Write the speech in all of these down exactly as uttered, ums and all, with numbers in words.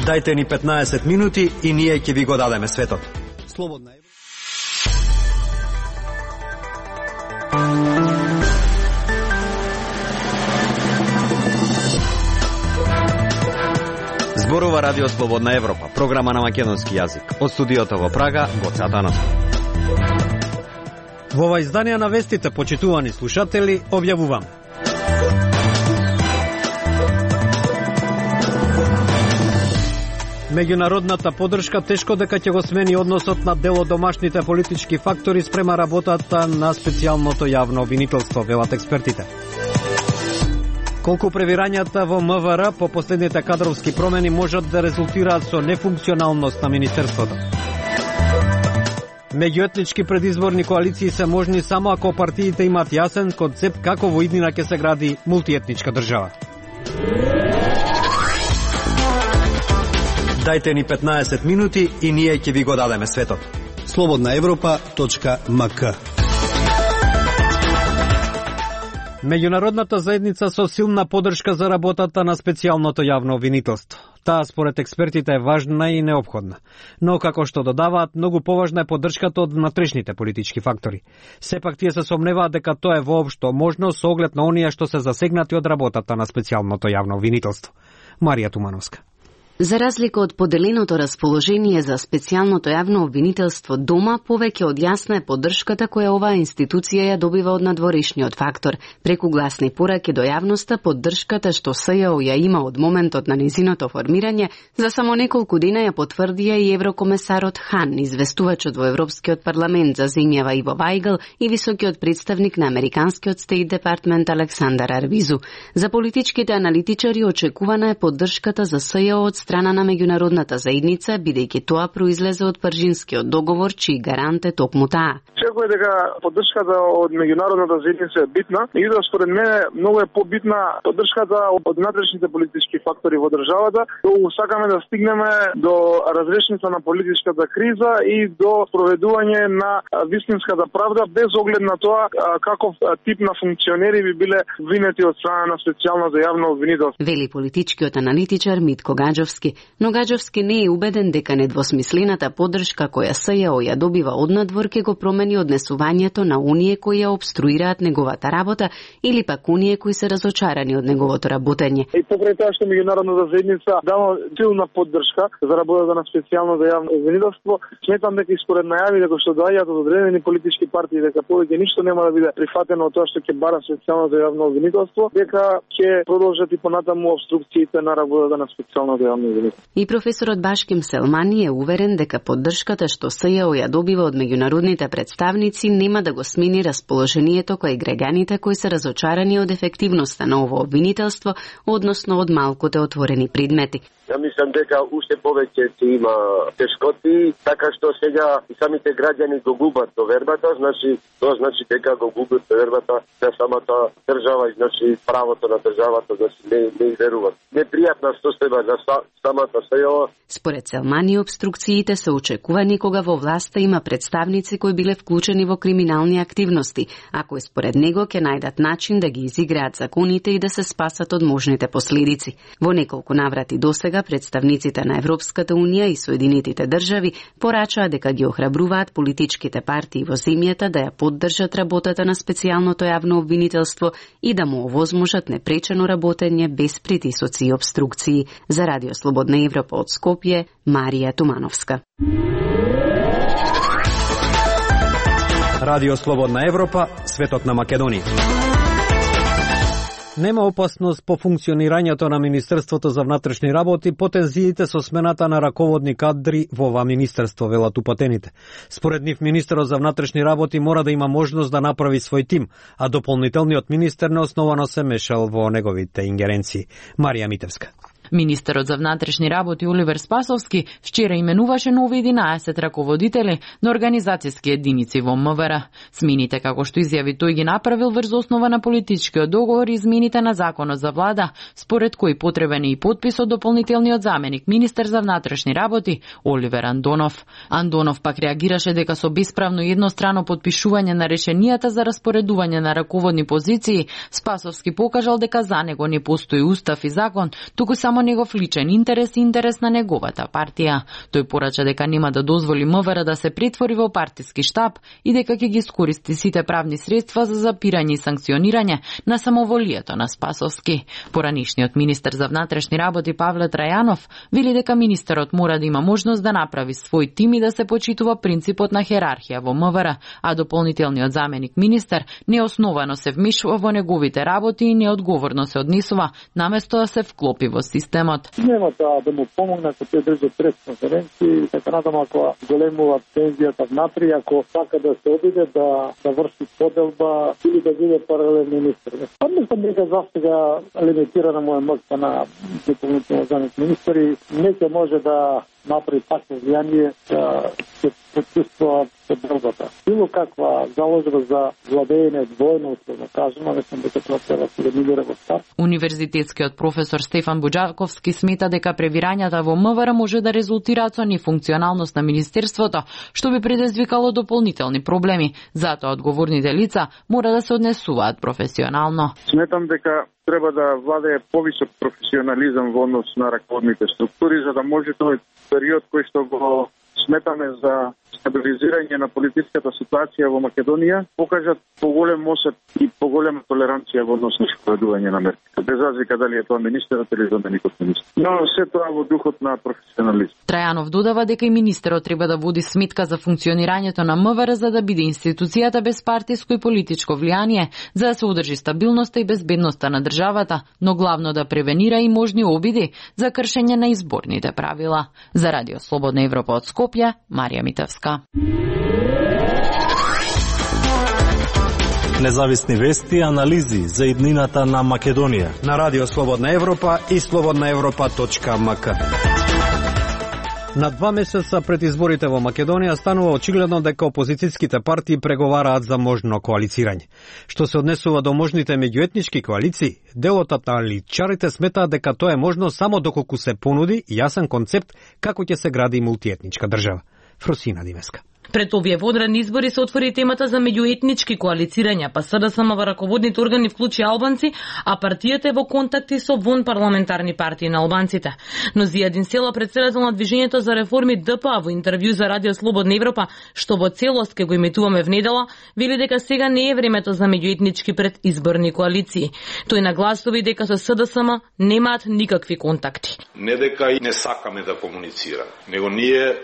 Дајте ни петнаесет минути и ние ќе ви го дадеме светот. Слободна Европа. Зборува Радио Слободна Европа, програма на македонски јазик. Од студиото во Прага, Гоце Атанасов. Во ова издание на вестите, почитувани слушатели, објавуваме. Меѓународната поддршка тешко дека ќе го смени односот на дел од домашните политички фактори спрема работата на специјалното јавно обвинителство, велат експертите. Колку превирањата во МВР по последните кадровски промени можат да резултираат со нефункционалност на министерството. Меѓуетнички предизборни коалиции се можни само ако партиите имаат јасен концепт како во иднина ќе се гради мултиетничка држава. Дајте ни петнаесет минути и ние ќе ви го дадеме светот. слободна европа точка ем ка. Меѓународната заедница со силна поддршка за работата на специјалното јавно обвинителство. Таа според експертите е важна и неопходна, но како што додаваат, многу поважна е поддршката од внатрешните политички фактори. Сепак тие се сомневаат дека тоа е воопшто можно со оглед на оние што се засегнати од работата на специјалното јавно обвинителство. Марија Тумановска. За разлика од поделеното расположение за специјалното јавно обвинителство дома, повеќе од јасна е поддршката која оваа институција ја добива од надворешниот фактор. Преку гласни пораки до јавноста, поддршката што СЈО ја има од моментот на незиното формирање, за само неколку дена ја потврдија и еврокомесарот Хан, известувачот во Европскиот парламент за земјава Иво Вајгл и високиот представник на Американскиот Стейт Департмент Александар Арвизу. За политичките аналитичари очекувана е поддршката за СЈО од страна на меѓународната заедница, бидејќи тоа произлезе од Парижинскиот договор, чиј гарант е токму таа. Секој дека поддршката од меѓународната заедница е битна, и да според мене многу е побитна поддршката од внатрешните политички фактори во државата, доколку сакаме да стигнеме до разрешница на политичката криза и до проведување на вистинската правда, без оглед на тоа каков тип на функционери би биле винети од страна на специјалното јавно обвинителство. Вели политичкиот аналитичар Митко Гаджовски, но Гаджовски не е убеден дека недвосмислената поддршка која СЈО ја добива од надвор ќе го промени однесувањето на оние кои ја обструираат неговата работа или пак оние кои се разочарани од неговото работење. И покрај тоа што меѓународната заедница дава силна поддршка за работата на специјалното јавно обвинителство, сметам дека и според најави дека што доаѓаат од одредени политички партии дека повеќе ништо нема да биде прифатено од тоа што ќе бара специјалното јавно обвинителство, дека ќе продолжат и понатаму обструкциите на работата на специјалното јавно обвинителство. И професорот Башким Селмани е уверен дека поддршката што СЈО ја добива од меѓународните представници нема да го смени расположението кој граѓаните кои се разочарани од ефективноста на ово обвинителство, односно од малкуте отворени предмети. Ја мислам дека уште повеќе ќе има тешкоти, така што сега и самите граѓани го губат довербата, значи тоа значи дека го губат довербата за самата држава и значи правото на државата, значи не не веруваат. Непријатна состојба за самата СЈО. Според Селмани, обструкциите се очекувани кога во власта има представници кои биле вклучени во криминални активности, а кои според него ќе најдат начин да ги изиграат законите и да се спасат од можните последици. Во неколку наврати досега представниците на Европската унија и Соединетите држави порачаа дека ги охрабруваат политичките партии во земјата да ја поддржат работата на специјалното јавно обвинителство и да му овозможат непречено работење без притисоци и обструкции. За Радио Слободна Европа од Скопје, Марија Тумановска. Радио Слободна Европа, светот на Македонија. Нема опасност по функционирањето на Министерството за внатрешни работи по тензиите со смената на раководни кадри во ова министерство, велат упатените. Според нив, министерот за внатрешни работи мора да има можност да направи свој тим, а дополнителниот министер неосновано се мешал во неговите ингеренции. Марија Митевска. Министерот за внатрешни работи Оливер Спасовски вчера именуваше нови единаесет раководители на организацијски единици во МВР. Смените, како што изјави тој, ги направил врз основа на политичкиот договор и измените на законот за влада, според кој потребен е и подпис од дополнителниот заменик министер за внатрешни работи Оливер Андонов. Андонов пак реагираше дека со бесправно и еднострано подпишување на решенијата за распоредување на раководни позиции, Спасовски покажал дека за него не постои устав и закон, туку само негов личен интерес и интерес на неговата партија. Тој порача дека нема да дозволи МВР да се претвори во партиски штаб и дека ќе ги искористи сите правни средства за запирање и санкционирање на самоволието на Спасовски. Поранишниот министер за внатрешни работи Павле Трајанов вели дека министерот мора да има можност да направи свој тим и да се почитува принципот на херархија во МВР, а дополнителниот заменик министер неосновано се вмешува во неговите работи и неодговорно се однесува, наместо да се вклопи во системот. Нема да, да му помогна ако тој држи пресконференции, така надам ако големува пензијата внатри, ако сака да се обиде да, да врши поделба или да биде паралелен министер. Па мислам дека за сега лимитирана му е моќта на дополнително заменик министер и не ќе може да направи такво влијание да се почувствува поделбата. Било каква заложба за владење двојно, условно кажемо, мислам дека тоа треба да се милира во старт. Универзитетскиот професор Стефан Буџаковски смета дека превирањата во МВР може да резултираат со нефункционалност на министерството, што би предизвикало дополнителни проблеми. Затоа одговорните лица мора да се однесуваат професионално. Сметам дека треба да владее повисок професионализам во однос на раководните структури, за да може тој период кој што го сметаме за стабилизирање на политичката ситуација во Македонија, покажат поголем осет и поголема толеранција во однос на спроведување на мерки. Без разлика дали е тоа министерот или заменикот министер. Но се тоа во духот на професионализм. Трајанов додава дека и министерот треба да води сметка за функционирањето на МВР за да биде институцијата без партиско и политичко влијание, за да се одржи стабилноста и безбедноста на државата, но главно да превенира и можни обиди за кршење на изборните правила. За Радио Слободна Европа од Скопје, Марија Митевска. Независни вести и анализи за иднината на Македонија на Радио Слободна Европа и слободна европа точка ем ка. На два месеца пред изборите во Македонија станува очигледно дека опозицијските партии преговараат за можно коалицирање. Што се однесува до можните меѓуетнички коалиции, делот на аналитичарите сметаат дека тоа е можно само доколку се понуди јасен концепт како ќе се гради мултиетничка држава. Фросина Димеска. Пред овие водредни избори се отвори темата за меѓуетнички коалицирања, па СДСМ во раководните органи вклучи албанци, а партијата е во контакти со вон парламентарни партии на албанците. Но Зијадин Села, претседател на Движењето за реформи Д П А, во интервју за Радио Слободна Европа, што во целост ке го иметуваме внедела, вели дека сега не е времето за меѓуетнички предизборни коалиции. Тој нагласува дека со СДСМ немаат никакви контакти. Не дека и не сакаме да комуницираме, него ние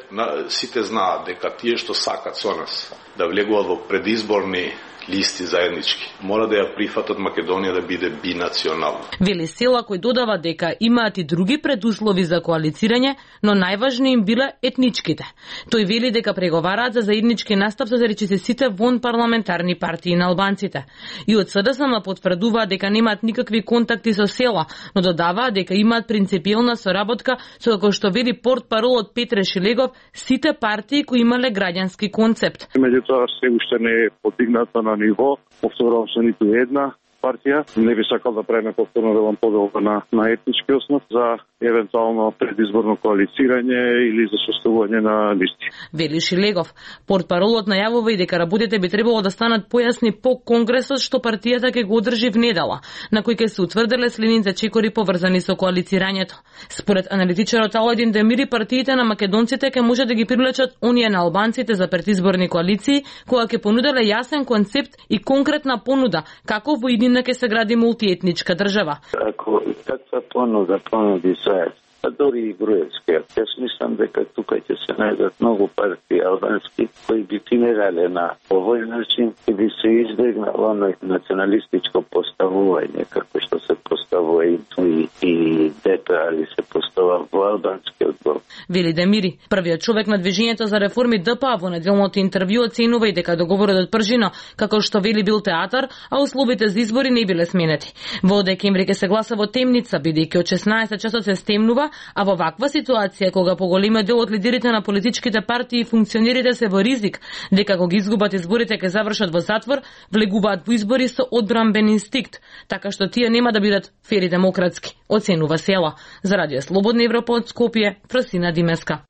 сите знаат дека тие што сакат со нас да влегуваат во предизборни листи заеднички, мора да ја прифатат Македонија да биде бинационална. Вели Села, кој додава дека имаат и други предуслови за коалицирање, но најважни им биле етничките. Тој вели дека преговараат за заеднички настап со речиси сите вон парламентарни партии на албанците. И од СДСМ потврдуваат дека немаат никакви контакти со Села, но додаваат дека имаат принципиелна соработка со, како што вели портпаролот Петре Шилегов, сите партии кои имале граѓански концепт. Меѓутоа се уште не е подигната на ниво, повторувам со ниту една партија. Не би сакал да правиме повторно велам поделба на, на етнички основ за евентуално предизборно коалицирање или за составување на листи. Вели Шилегов, портпаролот најавува и дека работите би требало да станат појасни по конгресот што партијата ќе го одржи внедела, на кој ќе се утврделе следните чекори поврзани со коалицирањето. Според аналитичарот Аладин Демири, партиите на македонците ќе може да ги привлечат оние на албанците за предизборни коалиции, која ќе понуделе јасен концепт и конкретна понуда како во иднина ќе се гради мултиетничка држава. Ако таква понуда понуди САЕС, а дори и Груевски. Јас мислам дека тука ќе се најдат многу партии албански кои би тинерале на овој начин и би се избегнало оној националистичко поставување како што се поставува и и, и ДП, али се поставува во албанскиот блок. Вели Демири, првиот човек на движењето за реформи ДПА во неделното интервју оценува и дека договорот од Пржино, како што вели, бил театар, а условите за избори не биле сменети. Во декември ќе се гласа во темница, бидејќи од шеснаесет часот се стемнува, а во ваква ситуација кога поголемиот дел од лидерите на политичките партии и функционерите се во ризик дека кога изгубат изборите ќе завршат во затвор, влегуваат во избори со одбранбен инстинкт, така што тие нема да бидат фери демократски, оценува Села. За Радио Слободна Европа од Скопје, Фросина Димеска.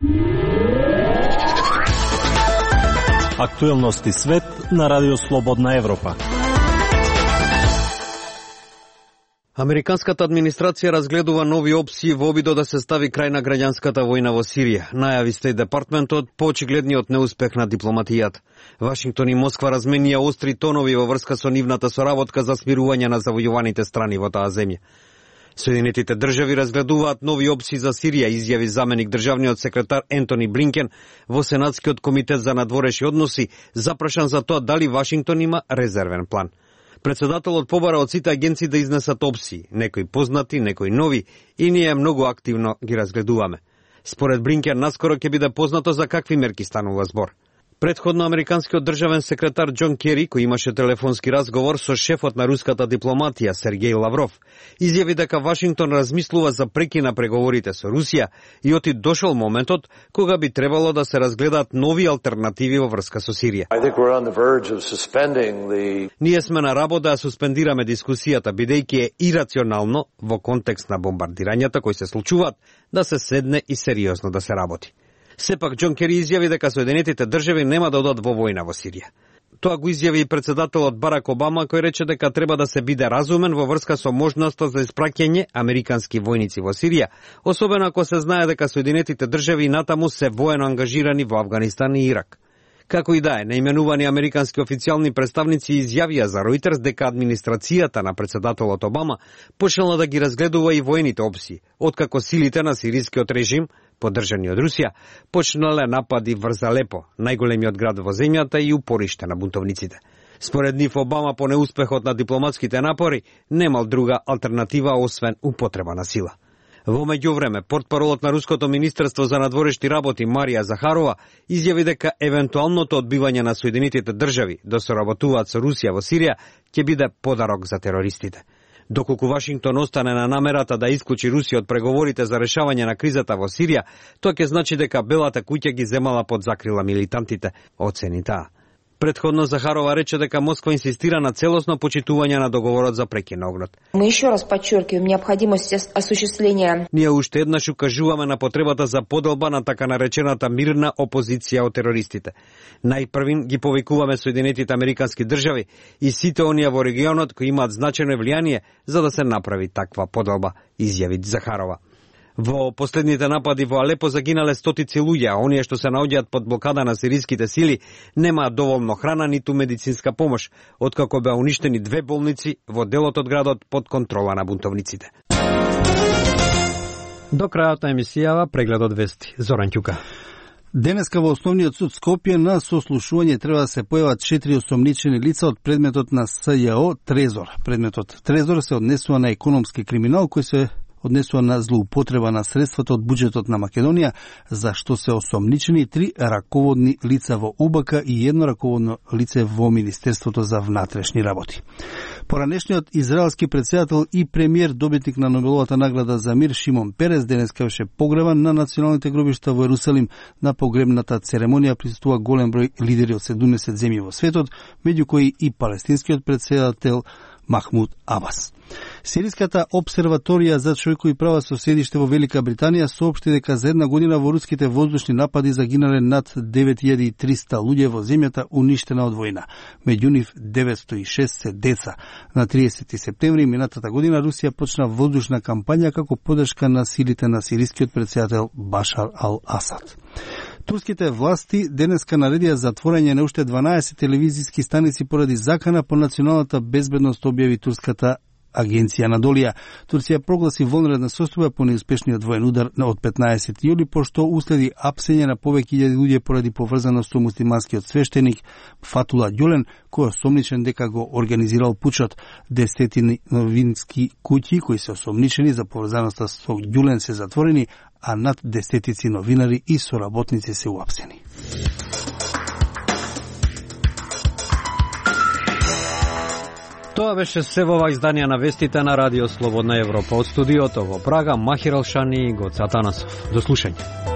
Актуелности свет на Радио Слободна Европа. Американската администрација разгледува нови опции во обидот да се стави крај на граѓанската војна во Сирија, најави Стејт департментот по очигледниот неуспех на дипломатијата. Вашингтон и Москва разменија остри тонови во врска со нивната соработка за смирување на завојуваните страни во таа земја. Соединетите држави разгледуваат нови опции за Сирија, изјави заменик државниот секретар Ентони Блинкен во Сенатскиот комитет за надворешни односи, запрашан за тоа дали Вашингтон има резервен план. Председателот побара од сите агенции да изнесат опции, некои познати, некои нови, и ние многу активно ги разгледуваме. Според Блинкен, наскоро ќе биде познато за какви мерки станува збор. Предходно американскиот државен секретар Џон Кери, кој имаше телефонски разговор со шефот на руската дипломатија Сергеј Лавров, изјави дека Вашингтон размислува за прекин на преговорите со Русија и оти дошол моментот кога би требало да се разгледаат нови алтернативи во врска со Сирија. The... Ние сме на работа да суспендираме дискусијата, бидејќи е ирационално во контекст на бомбардирањата кои се случуваат да се седне и сериозно да се работи. Сепак Џон Кери изјави дека Соединетите држави нема да одат во војна во Сирија. Тоа го изјави и председателот Барак Обама, кој рече дека треба да се биде разумен во врска со можноста за испраќање американски војници во Сирија, особено ако се знае дека Соединетите држави натаму се воено ангажирани во Авганистан и Ирак. Како и да е, наименувани американски официјални представници изјавија за Ројтерс дека администрацијата на председателот Обама почнала да ги разгледува и војните опции, откако силите на сирискиот режим, поддржани од Русија, почнале напади врз Алепо, најголемиот град во земјата и упориште на бунтовниците. Според нив Обама по неуспехот на дипломатските напори немал друга алтернатива освен употреба на сила. Во меѓувреме, портпаролот на Руското министерство за надворешни работи Марија Захарова изјави дека евентуалното одбивање на Соединетите држави да соработуваат со Русија во Сирија ќе биде подарок за терористите. Доколку Вашингтон остане на намерата да исклучи Русија од преговорите за решавање на кризата во Сирија, тоа ќе значи дека Белата куќа ги земала под закрила милитантите, оцени таа. Предходно Захарова рече дека Москва инсистира на целосно почитување на договорот за прекин на огнот. Мы ещё раз подчеркиваем необходимост осуществления. Ние уште еднаш укажуваме на потребата за поделба на така наречената мирна опозиција од терористите. Најпрвин ги повикуваме Соединетите американски држави и сите оние во регионот кои имаат значајно влијание за да се направи таква поделба, изјави Захарова. Во последните напади во Алепо загинале стотици луѓе, а оние што се наоѓаат под блокада на сириските сили немаат доволно храна ниту медицинска помош, откако беа уништени две болници во делот од градот под контрола на бунтовниците. До крајот на емисијава прегледот вести. Зоран Ќука. Денеска во Основниот суд Скопје на сослушување треба да се појават четири осомничени лица од предметот на С Ј О Трезор. Предметот Трезор се однесува на економски криминал кој се однесува на злоупотреба на средствата од буџетот на Македонија, за што се осомничени три раководни лица во У Б К и едно раководно лице во Министерството за внатрешни работи. Поранешниот израелски претседател и премиер, добитник на Нобеловата награда за мир Шимон Перес, денеска беше погребан на националните гробишта во Ерусалим. На погребната церемонија присуствува голем број лидери од седумдесет земји во светот, меѓу кои и палестинскиот претседател Махмуд Абас. Сириската обсерваторија за човекови права со седиште во Велика Британија соопшти дека за една година во руските воздушни напади загинале над девет илјади и триста луѓе во земјата уништена од војна. Меѓу нив деветстотини и шест се деца. На триесети септември минатата година Русија почна воздушна кампања како поддршка на силите на сирискиот претседател Башар ал-Асад. Турските власти денеска наредија затворање на уште дванаесет телевизиски станици поради закана по националната безбедност, објави турската агенција Анадолија. Турција прогласи вонредна состојба по неуспешниот воен удар од петнаесети јули, пошто уследи апсење на повеќе илјади луѓе поради поврзаност со муслиманскиот свештеник Фатула Ѓулен, кој е осомничен дека го организирал пучот. Десетини новински куќи кои се осомничени за поврзаноста со Ѓулен се затворени, а над десетици новинари и соработници се уапсени. Тоа беше се во ова издание на вестите на Радио Слободна Европа. Од студиото во Прага, Махир Алшани и Гоце Атанасов. До слушање.